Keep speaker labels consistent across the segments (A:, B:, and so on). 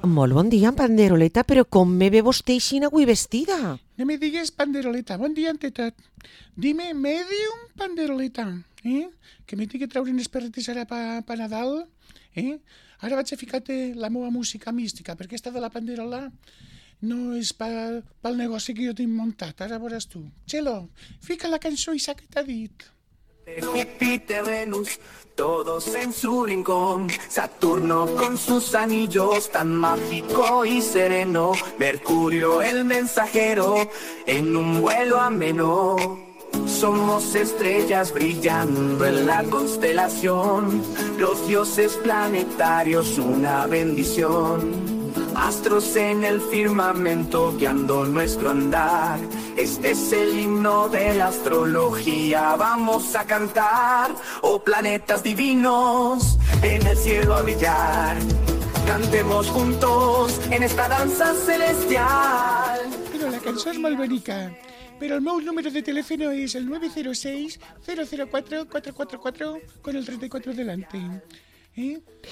A: Molt bon dia, Panderoleta, però com me ve vostè així avui vestida?
B: No me digues Panderoleta, bon dia ante tot. Dime medium Panderoleta, que m'he de treure unes perretes ara pa Nadal, Ara vaig a ficar-te la meva música mística, perquè esta de la Panderola no és pel negoci que jo tinc muntat, ara veuràs tu. Txelo, fica la cançó i s'ha que t'ha dit.
C: Júpiter, Venus, todos en su rincón. Saturno con sus anillos tan mágico y sereno. Mercurio el mensajero en un vuelo ameno. Somos estrellas brillando en la constelación. Los dioses planetarios una bendición. Astros en el firmamento guiando nuestro andar. Este es el himno de la astrología. Vamos a cantar, oh planetas divinos, en el cielo a brillar. Cantemos juntos en esta danza celestial.
B: Però la cançó és molt bonica. Però el meu número de telèfono és el 906-004-444 con el 34 delante.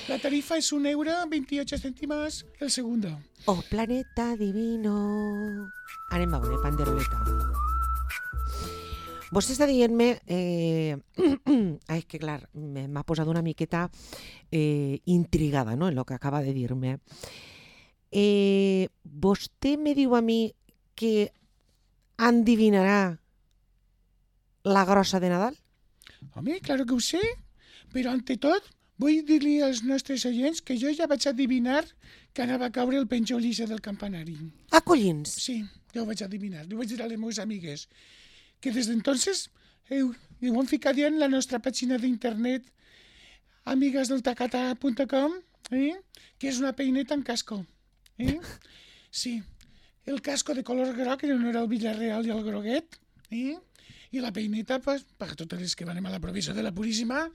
B: La tarifa és €1,28 el segundo.
A: Oh, planeta divino. Anem a veure, Panderoleta. Vostè està dient-me... és que, clar, m'ha posat una miqueta intrigada, no?, en el que acaba de dir-me. Vostè me diu a mi que endivinarà la grossa de Nadal?
B: Home, claro que ho sé, però ante tot vull dir-li als nostres oients que jo ja vaig adivinar que anava a caure el penjolissa del campanari.
A: Ah, collins!
B: Sí, ja ho vaig adivinar. Li vaig dir a les meves amigues que des d'entonces ho han ficat ja en la nostra pàgina d'internet amigasdeltacata.com, que és una peineta en casco. Sí, el casco de color groc en honor al Villarreal i al groguet, i la peineta, per totes les que anem a la província de la Puríssima,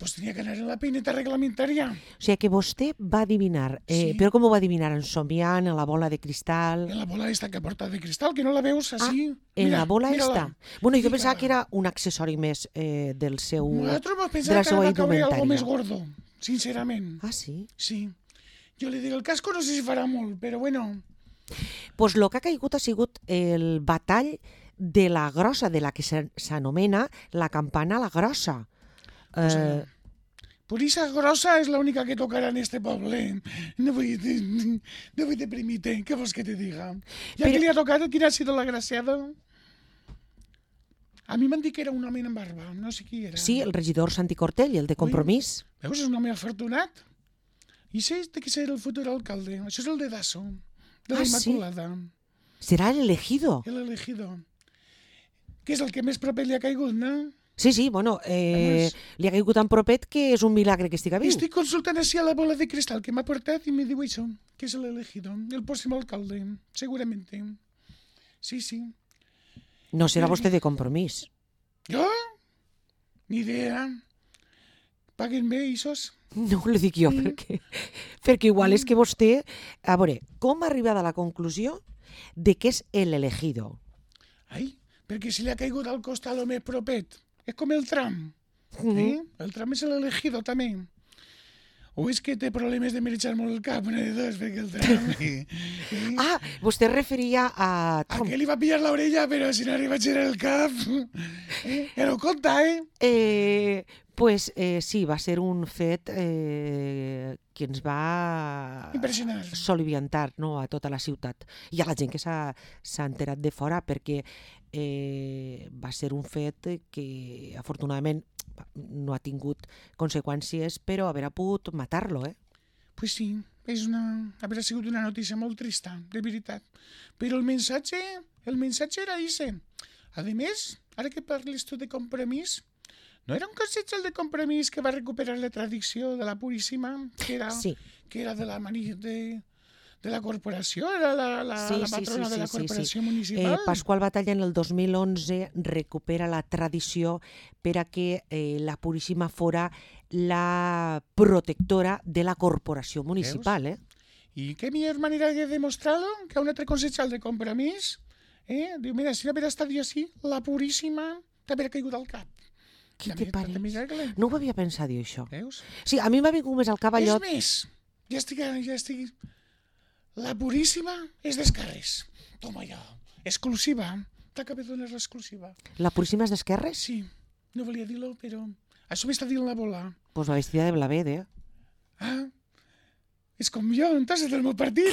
B: tenia que anar en la peineta reglamentària.
A: O sigui que vostè va adivinar, però com ho va adivinar? Ensomiant, en la bola de cristal?
B: En la bola esta que porta de cristal, que no la veus així.
A: En la bola esta? Bueno, jo pensava que era un accessori més del seu...
B: Nosaltres vam pensar que va caure algo més gordo, sincerament.
A: Ah, sí?
B: Sí. Jo li dic, el casco no sé si farà molt, però bueno...
A: Doncs el que ha caigut ha sigut el batall de la grossa, de la que s'anomena la campana la grossa.
B: Purissa grossa és l'única que tocarà en este poble. No vull deprimir-te, què vols que te diga? Ja que li ha tocat, quina ha sido la graciada? A mi m'han dit que era un home amb barba, no sé qui era.
A: Sí, el regidor Santi Cortell, el de Compromís.
B: Veus, és un home afortunat. I sé que serà el futur alcalde. Això és el de Dasso, de la Immaculada.
A: Serà l'elegido.
B: L'elegido. Que és el que més proper li ha caigut, no?
A: Sí, bueno, li ha caigut tan propet que és un milagre que estiga viu.
B: Estic consultant així a la bola de cristal que m'ha portat i me diu això, que és l'elegido, el pròxim alcalde, segurament. Sí.
A: No serà vostè de Compromís.
B: Jo? Ni idea. Paguen bé, ixos?
A: No ho dic jo, perquè igual és que vostè... A veure, com ha arribat a la conclusió de que és l'elegido?
B: Ai, perquè si li ha caigut al costat el més propet. És com el tram. El tram és l'elegido, també. O és que té problemes de mereixar molt el cap, una de dos, perquè el tram...
A: Ah, vostè referia a...
B: A que li va pillar l'orella, però si no arriba a girar el cap... Ja no compta,
A: Pues sí, va ser un fet que ens va
B: impressionar,
A: soliviantar, no, a tota la ciutat i a la gent que s'ha enterat de fora, perquè va ser un fet que afortunadament no ha tingut conseqüències, però haver pogut matar-lo,
B: Pues sí, haurà sigut una notícia molt trista, de veritat. Però el missatge era ese. A més, ara que parles tu de Compromís, no era un consell de Compromís que va recuperar la tradició de la Puríssima, que era de la corporació, era la patrona de la corporació municipal?
A: Pasqual Batalla en el 2011 recupera la tradició per a que la Puríssima fora la protectora de la corporació municipal.
B: I què millor manera de demostrar-lo que un altre consell de Compromís? Diu, mira, si no haver estat jo així, la Puríssima t'haver caigut al cap.
A: Què te pareix? No ho havia pensat, jo, això. Veus? Sí, a mi m'ha vingut més al cap allò...
B: És més, ja estic La Purísima és d'esquerres. Toma ja, exclusiva. T'acabé de donar l'exclusiva.
A: La Puríssima és d'esquerres?
B: Sí, no volia dir-lo, però això m'està dient la bola.
A: Pues va vestida de blavet,
B: Ah, és com jo, entonces del meu partit,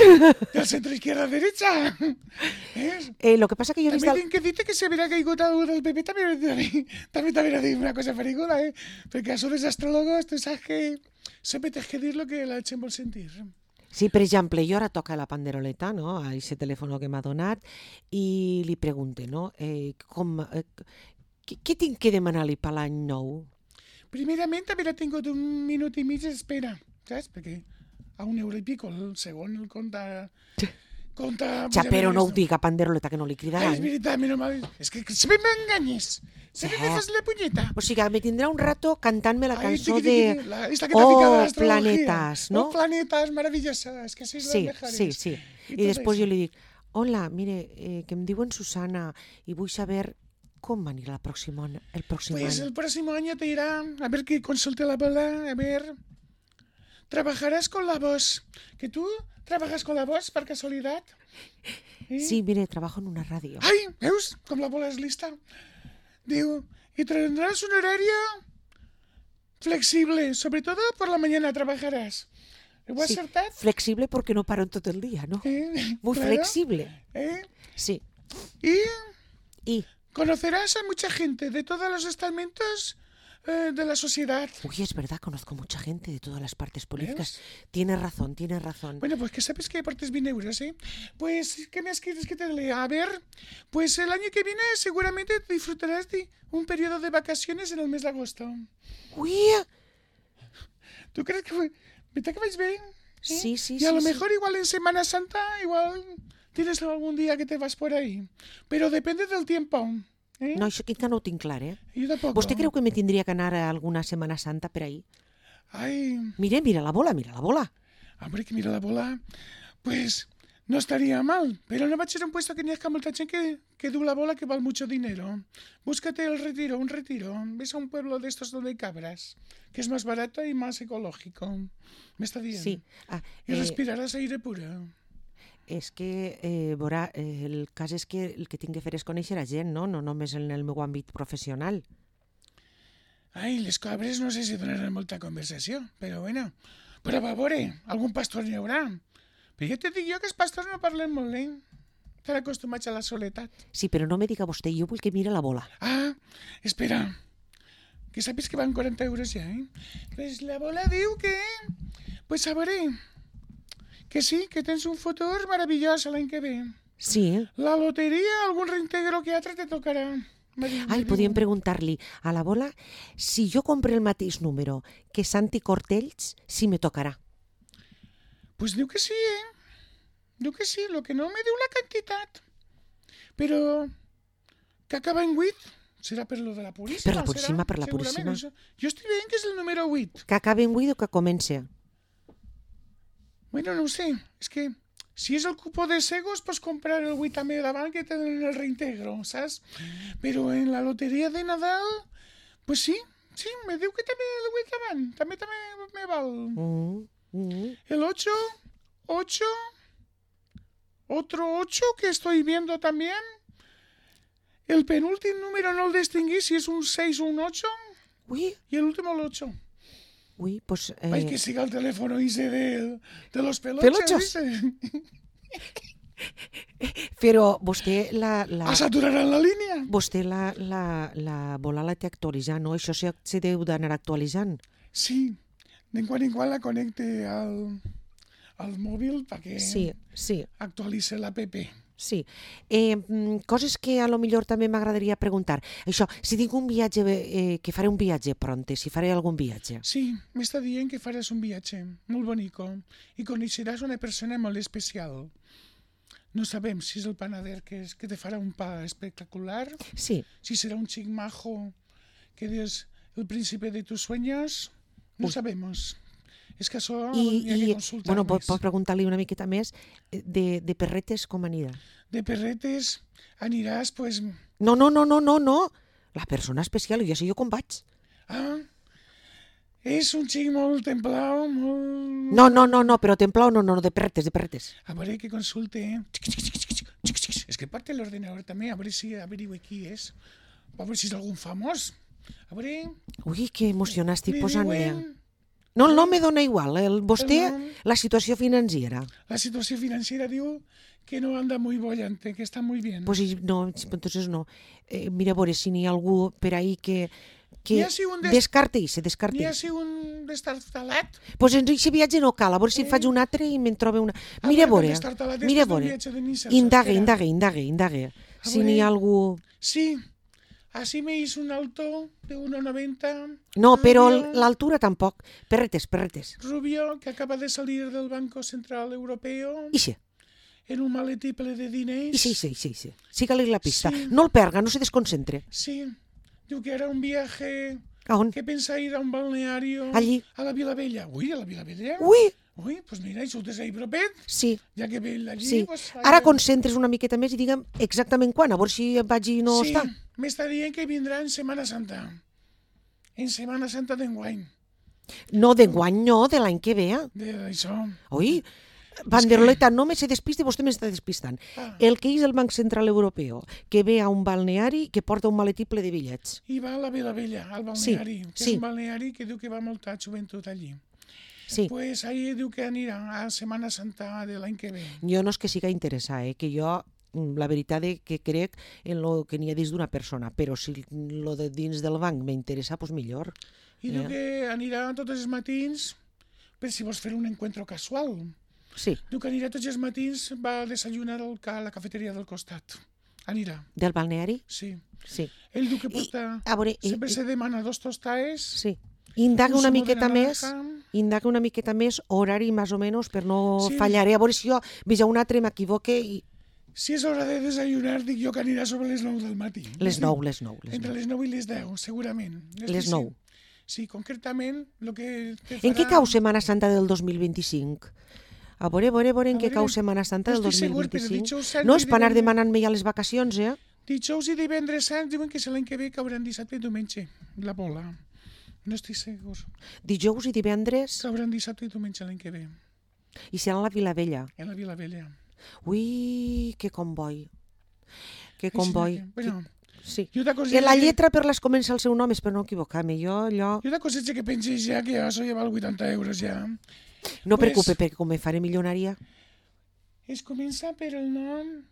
B: del centre izquierda derecha.
A: Lo que pasa que jo he vist...
B: També tinc que dir que si haguera caigut algú del PP també t'haguera dit una cosa perigola, perquè això dels astrólogos, tu saps que sempre tens que dir lo que la gent vol sentir.
A: Sí, per exemple, jo ara toca la panderoleta, no?, a aquest telèfon que m'ha donat, i li pregunte, no?, què tinc que demanar-li per l'any nou?
B: Primerament, haver tingut 1 minut i mig d'espera, saps? Perquè a €1 i pico el segon el compta...
A: Ja, però no ho diga, panderoleta, que no li cridaran.
B: És veritat, menys mal. És que sempre m'enganyes. Sempre me fas la punyeta.
A: O sigui, me tindrà un rato cantant-me la cançó
B: Esta que t'ha ficat a l'astrologia.
A: Planetas, no?
B: Oh, planetas, maravillosa. És que sois les mejores.
A: Sí. I després jo li dic, hola, mire, que em diuen Susana i vull saber com anirà el pròxim any.
B: Pues el próximo año te irá, a ver que consulte la bola, a ver... Trabajarás con la voz. ¿Que tú trabajas con la voz, per casualidad?
A: Sí, mire, trabajo en una ràdio.
B: Ai, veus com la bola és lista? Diu, y tendrás un horario flexible, sobre todo por la mañana trabajarás. ¿Lo has acertat?
A: Flexible porque no paro en todo el día, ¿no? Muy claro. Flexible. Sí.
B: Y conocerás a mucha gente de todos los estamentos de la sociedad.
A: Uy, es verdad, conozco mucha gente de todas las partes políticas. Tienes razón.
B: Bueno, pues que sabes que aportes bien euros, ¿eh? Pues, ¿qué me quieres que te lea? A ver, pues el año que viene seguramente disfrutarás de un periodo de vacaciones en el mes de agosto.
A: Uy.
B: ¿Tú crees que me te vais bien?
A: Sí.
B: Y a lo mejor igual en Semana Santa, igual tienes algún día que te vas por ahí. Pero depende del tiempo.
A: No, això que no ho tinc clar,
B: Jo tampoc.
A: Vostè creu que me tindria que anar a alguna Setmana Santa per ahí?
B: Ai...
A: Mira la bola.
B: Hombre, que mira la bola. Pues no estaría mal, pero no va a ser un puesto que ni es que molta gente que du la bola que vale mucho dinero. Búscate un retiro. Ves a un pueblo de estos donde hay cabras, que es más barato y más ecológico. Me está dient.
A: Sí.
B: Y respiraràs aire puro.
A: És que, el cas és que el que tinc que fer és conèixer a gent, no només en el meu àmbit professional.
B: Ai, les cabres no sé si donaran molta conversació, però bueno. Però va veure, algun pastor n'hi haurà. Però ja te dic jo que els pastors no parlen molt, Estan acostumats a la soledat.
A: Sí, però no me diga vostè, jo vull que mire la bola.
B: Ah, espera, que saps que van 40 euros ja, Pues la bola diu que... Pues a veure... Que sí, que tens un futur maravillós l'any que ve.
A: Sí.
B: La loteria, algun reintegro que altre te tocarà.
A: Podíem preguntar-li a la bola si jo compre el mateix número que Santi Cortells, si me tocarà.
B: Pues diu que sí, Diu que sí, lo que no me diu la quantitat. Però que acaba en 8, serà per lo de la Puríssima.
A: Per la Puríssima.
B: Jo estic veient que és el número 8.
A: Que acabe en 8 o que comence?
B: Bueno, no ho sé, és que si és el cupó de Segos, pots comprar el 8 també davant que tenen el reintegro, saps? Però en la loteria de Nadal, pues sí, me diu que també el 8 davant, també me val. El 8, otro 8 que estoy viendo también. El penúltimo número no el distingui si és un 6 o un 8.
A: Uy.
B: I el último el 8.
A: Uy, pues...
B: Ay, que siga el teléfono ese de los pelochos.
A: Però vostè
B: saturaran la línia.
A: Vostè la bola la té actualitzant, no? Això se deu d'anar actualitzant.
B: Sí, de quan en quan la connecte al mòbil perquè actualitze l'app.
A: Sí. Coses que a lo millor també m'agradaria preguntar. Això, si tinc un viatge, que faré un viatge pronte, si faré algun viatge.
B: Sí, m'està dient que faràs un viatge molt bonico i coneixeràs una persona molt especial. No sabem si és el panader que te farà un pa espectacular, si serà un xic majo que és el príncipe de tus sueños, no sabemos. És que això hi ha que consultar
A: més. Bueno, pots preguntar-li una miqueta més de perretes com anirà?
B: De perretes aniràs, pues...
A: No. La persona especial, ja sé jo com vaig.
B: És un xic molt templau, molt...
A: No, però templau no, de perretes.
B: A veure que consulte, És que porta l'ordenador també, a veure si averigua qui és. A veure si és algun famós. A veure...
A: Ui, que emocionat estic
B: li
A: posant-me.
B: diuen
A: No, el nom me dona igual. Vostè,
B: El nom.
A: la situació financera.
B: La situació financiera diu que no anda muy bollante, que está muy bien.
A: Pues no, entonces no. Mira, a veure si n'hi ha algú per ahí que
B: N'hi ha si un
A: descarte
B: N'hi ha si un destartalat.
A: Pues en aquest viatge no cal, a veure si en faig un altre i me'n trobe una... Mira, a veure, indague. Si n'hi ha algú...
B: Sí, así me hizo un alto de 1,90.
A: No, però
B: rubio,
A: l'altura tampoc. Perretes.
B: Rubio, que acaba de salir del Banco Central Europeo
A: Ixe,
B: en un maletí ple de diners.
A: ixe. Siga-li la pista.
B: Sí.
A: No el perga, no se desconcentre.
B: Sí, diu que era un viaje
A: A on?
B: que pensa ir a un balneario
A: Allí.
B: a la Vila Vella. Uy, a la Vila Vella?
A: Ui,
B: Pues mira, això és ahí propet,
A: sí.
B: ja que ve allí...
A: Sí.
B: Pues,
A: Ara concentres una miqueta més i digue'm exactament quan, a veure si vaig i no
B: sí,
A: està.
B: m'està dient que vindrà en Setmana Santa. En Setmana Santa d'enguany.
A: No, d'enguany no, de l'any que ve.
B: D'això.
A: Ui, Banderoleta, no me se despiste, vostè m'està despistant.
B: Ah.
A: El que és el Banc Central Europeu, que ve a un balneari que porta un maletí ple de bitllets.
B: I va a la Vila Vella, al balneari, que
A: sí.
B: és un balneari que diu que va molta joventut allí.
A: Sí.
B: Pues ahí diu que anirà a Setmana Santa de l'any que ve.
A: Jo no és que siga interessada, que jo la veritat és que crec en lo que n'hi ha dins d'una persona, però si lo de dins del banc m'interessa, doncs millor.
B: I diu que anirà tots els matins, per si vols fer un encuentro casual.
A: Sí,
B: Diu que anirà tots els matins, va a desayunar a la cafeteria del costat. Anirà,
A: del balneari?
B: sí.
A: Sí.
B: Ell diu que porta...
A: A veure,
B: Sempre se demana 2 tostaes.
A: sí. Indaga
B: un
A: una
B: zumo de
A: miqueta més, horari més o menys, per no
B: Sí.
A: fallar. A veure si jo veig un altre m'equivoque i...
B: Si és hora de desayunar, dic jo que anirà sobre les 9 del matí.
A: Les 9.
B: Entre les 9 i les 10, segurament.
A: Les 9.
B: Sí, concretament, el que te
A: En què
B: farà...
A: cau Setmana Santa del 2025? A veure en què
B: veure,
A: cau Setmana Santa
B: no
A: del
B: estic segur, però
A: 2025.
B: dijous sant
A: No
B: i
A: és per anar
B: divendres-
A: demanant-me ja les vacacions,
B: Dijous i divendres sants diuen que és l'any que ve cauran dissabte i diumenge, la bola. No estic segur.
A: Dijous i divendres,
B: Cauran dissabte i diumenge l'any que ve,
A: i serà a la Vila Vella.
B: en la Vila Vella.
A: Ui, que comboi. Que
B: Així
A: comboi.
B: que, bueno,
A: Sí.
B: jo de coseta,
A: La lletra per les comença el seu nom, és per no equivocar-me. Jo, allò...
B: Jo de coseta que pensis ja que això ja val 80 euros ja.
A: No
B: Pues-
A: preocupe, perquè com me faré milionària.
B: Es comença per el nom...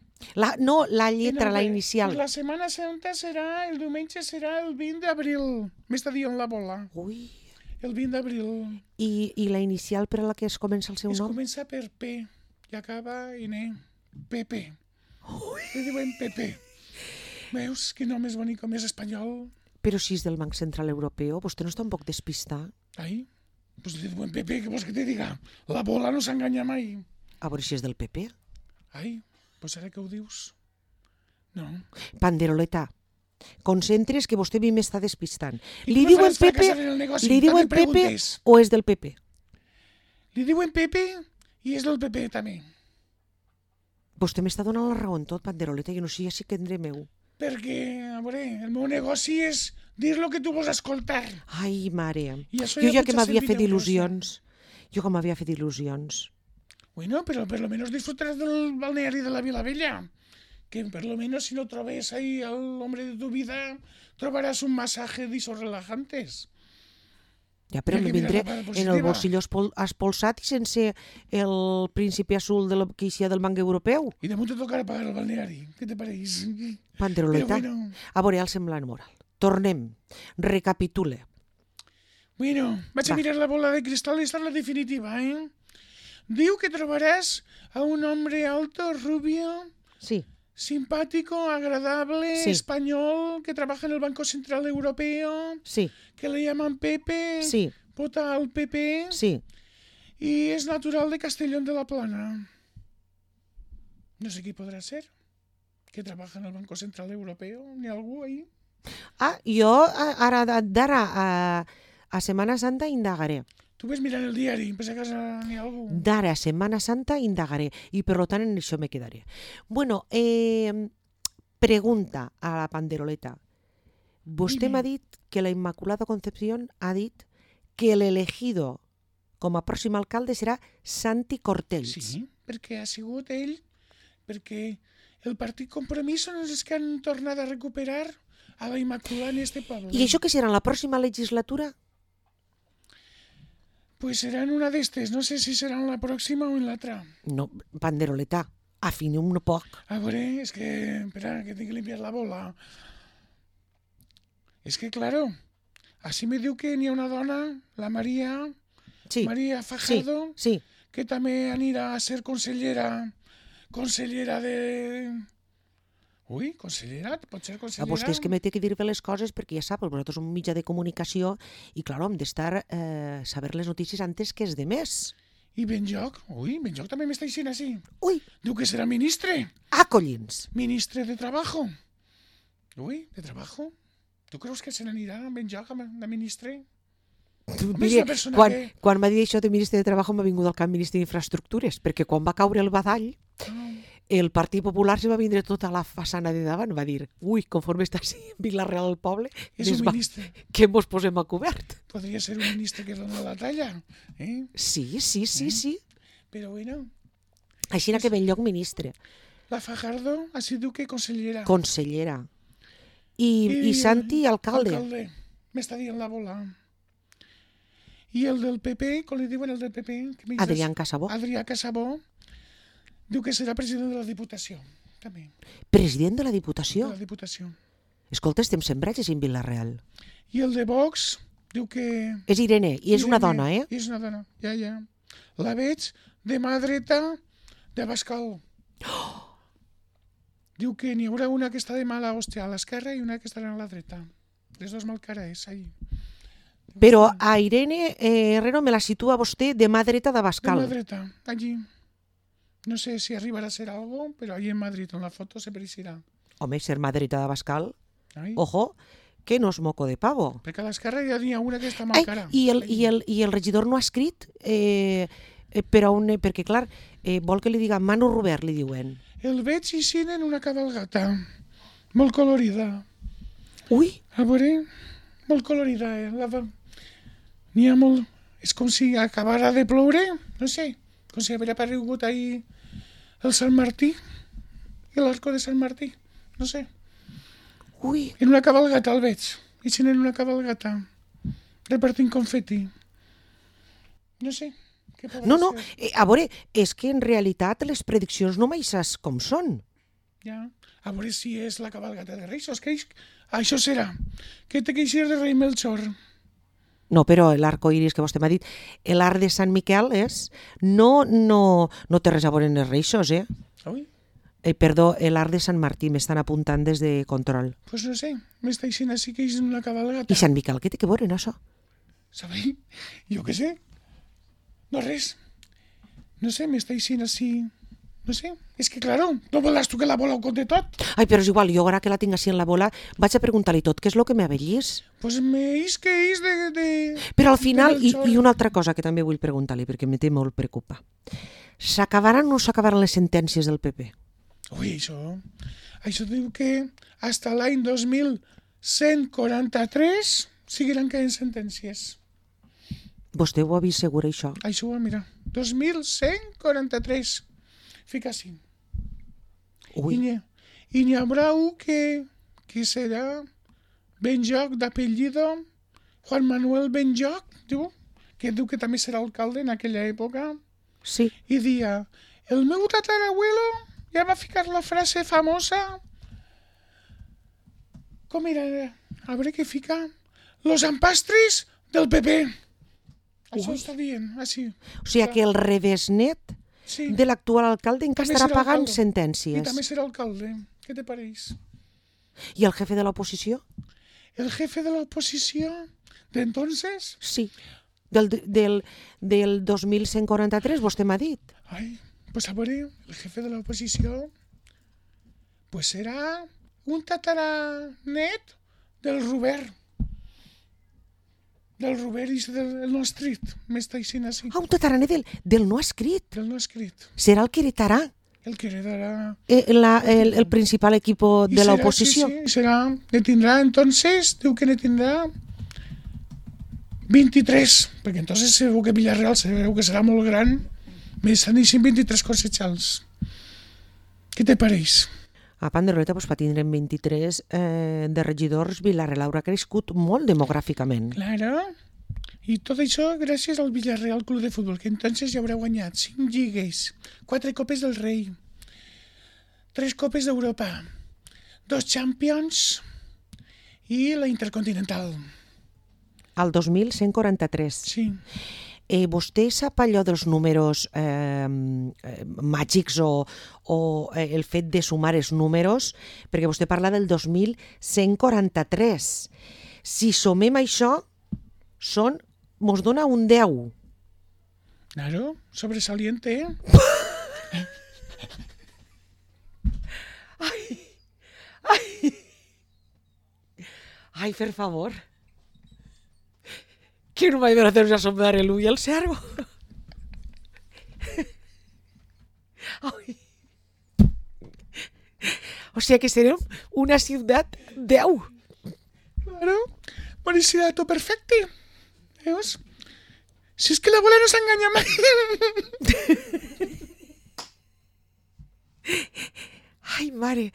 A: No, la lletra,
B: No,
A: la
B: bé,
A: inicial.
B: Pues la Setmana Santa serà, el diumenge serà el 20 d'abril. M'està dient la bola.
A: Ui.
B: El 20 d'abril.
A: I la inicial per a la que es comença el seu
B: Es
A: nom?
B: comença per P i acaba en E. Pepe. Li diuen Pepe. Veus quin nom més bonic, com és espanyol?
A: Però si és del Banc Central Europeu, vostè no està un poc despistat?
B: Ai, pues li diuen Pepe, què vols que te diga? La bola no s'enganya mai.
A: A veure si és del PP.
B: Ai, pues ara que ho dius? No.
A: Panderoleta, concentres que vostè a mi m'està despistant.
B: I
A: Li
B: tu no
A: diuen
B: faràs fracassar
A: Pepe,
B: en el negoci,
A: li diuen
B: també
A: Pepe
B: preguntes.
A: o és del PP?
B: Li diuen Pepe i és del PP també.
A: Vostè m'està donant la raó en tot, Panderoleta, jo no sé si que tindré meu.
B: Perquè, a veure, el meu negoci és dir el que tu vols escoltar.
A: Ai, mare,
B: I això
A: jo ja
B: ja
A: que
B: potser
A: m'havia
B: ha
A: fet
B: servit d'euros,
A: il·lusions. Jo que m'havia fet il·lusions.
B: Bueno, pero por lo menos disfrutarás del balneario de la Vila Bella. Que por lo menos si no troves ahí al hombre de tu vida, trobarás un masaje de esos relajantes.
A: Ja, però
B: Mira
A: me
B: que
A: vindré
B: mira la part
A: en el
B: positiva.
A: bolsillo espolsat i sense el príncipe azul que hi ha del Banc Europeu.
B: Y de momento tocará pagar el balneari. ¿Qué te parece?
A: Panderoleta,
B: Però bueno.
A: a veure el semblant moral. Tornem, recapitule.
B: Bueno, vaig
A: Va.
B: a mirar la bola de cristal y esta es la definitiva, ¿eh? Diu que trobarás a un hombre alto, rubio,
A: Sí,
B: simpático, agradable,
A: Sí.
B: español, que trabaja en el Banco Central Europeo,
A: sí,
B: que le llaman Pepe,
A: sí,
B: vota al PP
A: sí.
B: y es natural de Castellón de la Plana. No sé qui podrà ser, que trabaja en el Banco Central Europeo, ni algú ahí.
A: Jo ara d'ara a Setmana Santa indagaré.
B: Tu ves mirant el diari, per si a casa n'hi ha algú.
A: D'ara a Setmana Santa indagaré i per tant en això me quedaré. Bueno, pregunta a la Panderoleta. Vostè
B: Dime.
A: m'ha dit que la Immaculada Concepción ha dit que l'elegido com a pròxim alcalde serà Santi Cortells.
B: Sí, perquè ha sigut ell, perquè el Partit Compromís són els que han tornat a recuperar a la Immaculada en este poble.
A: I això que serà en la pròxima legislatura?
B: Pues serà en una d'estes, no sé si serà en la pròxima o en l'altra.
A: No, panderoleta, afinem un poc.
B: A veure, és que... Espera, que tinc que limpiar la bola. És que, claro, així me diu que n'hi ha una dona, la Maria Fajardo,
A: sí.
B: que també anirà a ser consellera de... Ui, consellera? Pot ser consellera?
A: A vostè és que me té que dir bé les coses perquè ja sap, vosaltres som un mitjà de comunicació i, clar, hem d'estar saber les notícies antes que els demés.
B: I Benlloc? Ui, Benlloc també m'està dient així.
A: Ui!
B: Diu que serà ministre.
A: Ah, collins!
B: Ministre de Trabajo. Ui, de Trabajo? Tu creus que se n'anirà a Benlloc de ministre?
A: Mire, quan m'ha dit això de ministre de Treball m'ha vingut al cap ministre d'Infraestructures, perquè quan va caure el badall, el Partit Popular se va vindre tota la façana de davant, va dir, ui, conforme està així Vila-real el poble, que mos posem a cobert.
B: Podria ser un ministre que dona la talla, eh?
A: Sí.
B: Però bueno...
A: Així que Benlloc ministre.
B: La Fajardo ha sigut que consellera.
A: Consellera. I Santi alcalde.
B: Alcalde. M'està dient la bola. I el del PP, com li diuen el del PP?
A: Adrià Casabó.
B: Adrià Casabó. Diu que serà president de la Diputació, també.
A: President de la Diputació?
B: De la Diputació.
A: Escolta, estem sembrats en Vila-real.
B: I el de Vox diu que...
A: És Irene, i és una dona, eh?
B: És una dona, ja. La veig de mà dreta de Abascal. Diu que n'hi haurà una que està de mala hòstia a l'esquerra i una que estarà a la dreta. Les dues malcares, ahí.
A: Però a Irene Herrero me la situa vostè de mà dreta d'Abascal.
B: De mà dreta, allí. No sé si arribarà a ser algo, però allí en Madrid, en la foto, se pareixerà.
A: Home, ser mà dreta d'Abascal, ojo, que no és moco de pavo.
B: Perquè a l'esquerra ja n'hi ha una que està mal cara.
A: I el regidor no ha escrit perquè, clar, vol que li diga Manu Robert, li diuen.
B: El veig així en una cabalgata, molt colorida.
A: Ui!
B: A veure, molt colorida, N'hi ha molt... És com si acabara de ploure, no sé, com si hagués aparegut ahir el Sant Martí, l'arco de Sant Martí, no sé.
A: Ui!
B: En una cabalgata el veig, així en una cabalgata, repartint confeti. No sé.
A: No, a veure, és que en realitat les prediccions no mai saps com són.
B: Ja, a veure si és la cabalgata de Reis, que això serà, que té que eixir de rei Melchor.
A: No, però l'arco iris que vostè m'ha dit, l'arc de Sant Miquel no té res a veure amb els reixos, eh?
B: Ui?
A: Perdó, l'arc de Sant Martí, m'estan apuntant des de control.
B: Pues no sé, m'està dient així que és una cabalgata.
A: I Sant Miquel, què té que veure en això?
B: Sabeu? Jo què sé. No res. No sé, m'està dient així... No sé, és que, claro, no voldràs tu que la bola ho conte tot?
A: Ai, però és igual, jo ara que la tinc així en la bola, vaig a preguntar-li tot, què és el que m'avellís?
B: Pues m'eix que és de...
A: Però al final, i una altra cosa que també vull preguntar-li, perquè me té molt preocupa. S'acabaran o no s'acabaran les sentències del PP?
B: Ui, això diu que fins l'any 2143 seguiran caient sentències.
A: Vostè ho ha vist segur, això?
B: Això, mira, 2143. Fica així.
A: Ui.
B: I n'hi haurà un que serà Benlloc d'apellido, Juan Manuel Benlloc, que diu que també serà alcalde en aquella època.
A: Sí.
B: I dia, el meu tatarabuelo ja va ficar la frase famosa, com era? A veure què fica? Los empastres del PP. Això està dient, així.
A: O sigui que el revesnet de l'actual alcalde encara estarà pagant sentències.
B: I també serà alcalde. Què te pareix?
A: I el jefe de l'oposició?
B: El jefe de l'oposició d'entonces?
A: Sí. Del 2143, vostè m'ha dit.
B: Ai, pues a veure, el jefe de l'oposició pues serà un tataranet del Robert. Del Robert i del no escrit, m'està dient així.
A: Ah, un tataranet del no escrit.
B: Del no escrit.
A: Serà el que heretarà.
B: El que heretarà...
A: el principal equipo de l'oposició.
B: Sí, serà, ne tindrà, entonces, diu que ne tindrà 23, perquè entonces segur que Villarreal sabeu que serà molt gran, me saneixen 23 concejals. Què te pareix?
A: A Panderoleta pues, tindrem 23 de regidors. Villarreal haurà crescut molt demogràficament.
B: Claro. I tot això gràcies al Villarreal Club de Futbol, que entonces ja haurà guanyat 5 lligues, 4 copes del rei, 3 copes d'Europa, 2 Champions i la Intercontinental.
A: Al 2143.
B: Sí.
A: Vostè sap allò dels números màgics o el fet de sumar els números? Perquè vostè parla del 2143. Si sumem això, mos dona un 10.
B: Claro, sobresaliente,
A: Ai, per favor. Que no m'ha de hacer asomar el ull al cervo. Ai. O sea que serem una ciutat 10.
B: Claro, bonificato perfecte. Veus? Si és que la bola no s'enganya mai.
A: Ai, mare.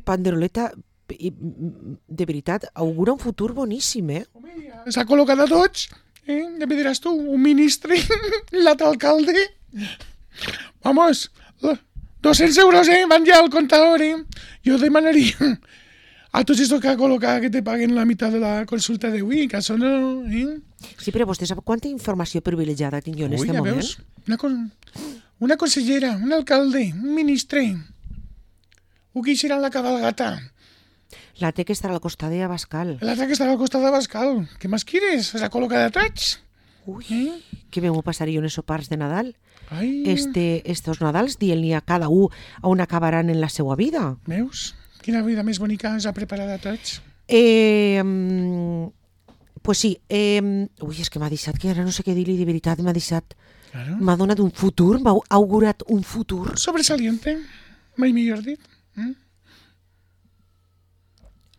A: Panderoleta, de veritat, augura un futur boníssim,
B: S'ha col·locat a tots. Ja me diràs tu, un ministre, l'alcalde. Vamos, 200 euros, van ja al comptador, Jo demanaria a tots estos que ha col·locat que te paguen la meitat de la consulta d'avui, que això no...
A: Sí, però vostè sap quanta informació privilegiada tinc jo en este moment?
B: Veus? Una consellera, un alcalde, un ministre. Ho que serà la cabalgata.
A: La té que estarà al costat de Abascal.
B: La té que estarà al costat d'Abascal. Què més quieres? S'ha col·locat a tots.
A: Ui, que bé m'ho passaré jo en esos sopars de Nadal.
B: Ai.
A: Estos Nadals dient-li a cada un on acabaran en la seva vida.
B: Veus? Quina vida més bonica ens ha preparat a tots.
A: Pues sí. Ui, és que m'ha deixat, que ara no sé què dir-li de veritat, m'ha deixat...
B: Claro.
A: M'ha donat un futur, m'ha augurat un futur.
B: Sobresaliente, mai millor dit.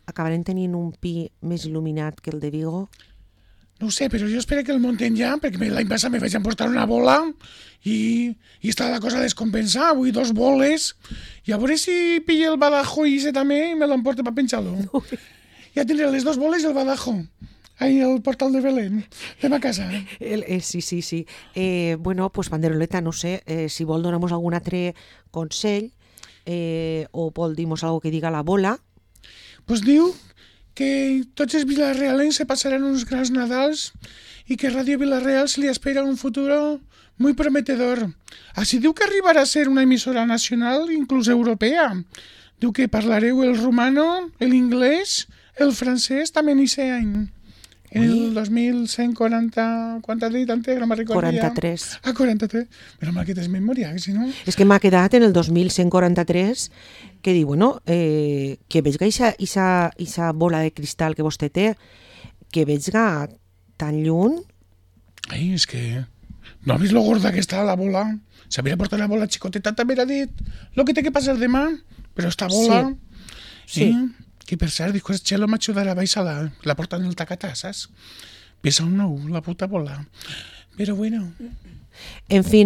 A: Acabarem tenint un pi més il·luminat que el de Vigo?
B: No ho sé, però jo espero que el munten ja, perquè l'any passat me vaig emportar una bola i està la cosa a descompensar. Avui 2 boles i a veure si pilla el Badajo i ese també i me l'emporta per penjar-lo. Ja tindré les 2 boles i el Badajo. Ahí al portal de Belén, de ma casa.
A: Sí. Bueno, pues Panderoleta, no sé, si vol donar-nos algun altre consell o vol dir-nos algo que diga la bola.
B: Pues diu que tots els vilarrealencs se passaran uns grans Nadals i que Ràdio Vilareal se li espera un futur muy prometedor. Així diu que arribarà a ser una emissora nacional, inclús europea. Diu que parlareu el rumano, l'inglès, el francès, també n'hi sé any. En el 2140... ¿Cuánto has dit antes? No me recordo
A: 43.
B: Ah, 43. Però mal que tens memòria, que si no...
A: És que m'ha quedat en el 2143 que diu, bueno, que veig que ixa bola de cristal que vostè té, que veig que tan lluny...
B: Ai, és que... No has vist lo gorda que està la bola? S'havia portat la bola xicoteta, també ha dit lo que té que passar demà, però esta bola...
A: Sí.
B: Que per cert, dic, el Chelo m'ajudarà a baixar la porta en el tacatà, saps? Pesa un nou, la puta bola. Però bueno...
A: En fi,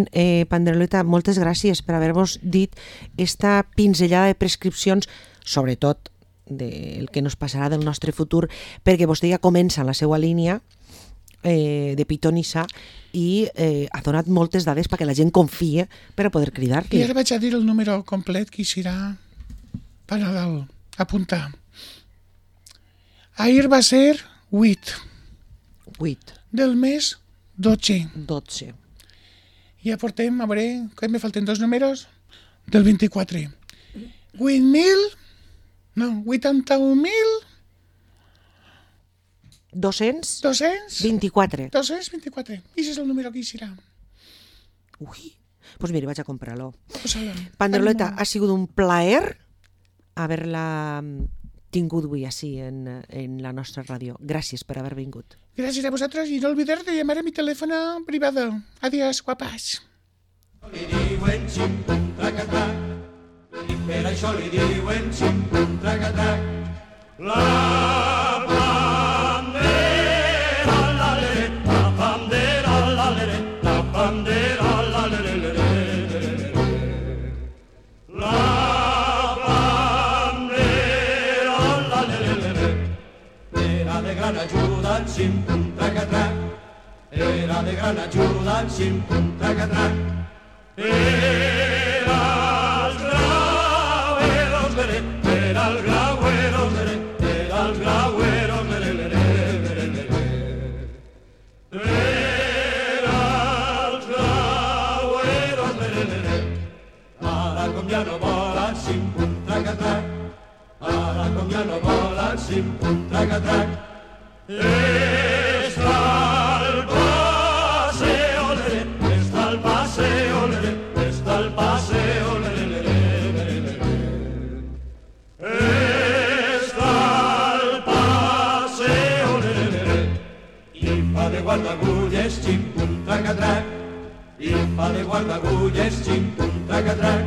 A: Panderoleta, moltes gràcies per haver-vos dit esta pinzellada de prescripcions, sobretot del que nos passarà del nostre futur, perquè vostè ja comença la seva línia de pitonissa i ha donat moltes dades perquè la gent confia per a poder cridar-li.
B: I ara vaig a dir el número complet que hi serà per Nadal. Apuntar. Ahir va ser 8. 8. Del mes 12.
A: 12.
B: Ja portem, a veure, que me falten 2 números, del 24. 8.000... No, 81.000...
A: 224.
B: 224. I és el número que hi serà.
A: Ui, doncs mira, vaig a comprar-lo.
B: Posa-la.
A: Panderoleta, ha sigut un plaer haver-la tingut avui així en la nostra ràdio. Gràcies per haver vingut.
B: Gràcies a vosaltres i no oblidar de llamar a mi telèfono privado. Adiós, guapas.
D: Li diuen xim, trac-a-trac, i per això li diuen xim, trac-a-trac. La bandera, la bandera, era de gran ajuda, xim, pum, tracatrac. Era el grauero, mere, era el grauero, mere, era el grauero, mere, mere, mere, mere. Era el grauero, mere, mere. Ara com ja no vola, xim, pum, tracatrac. Ara com ja no vola, xim, pum, tracatrac. Està el paseo, lere, està el paseo, lere, està el paseo, lere, lere, lere, lere. Està el paseo, lere, lere. I fa de guardagulles, xim, pum, tracatrac. I fa de guardagulles, xim, pum, tracatrac.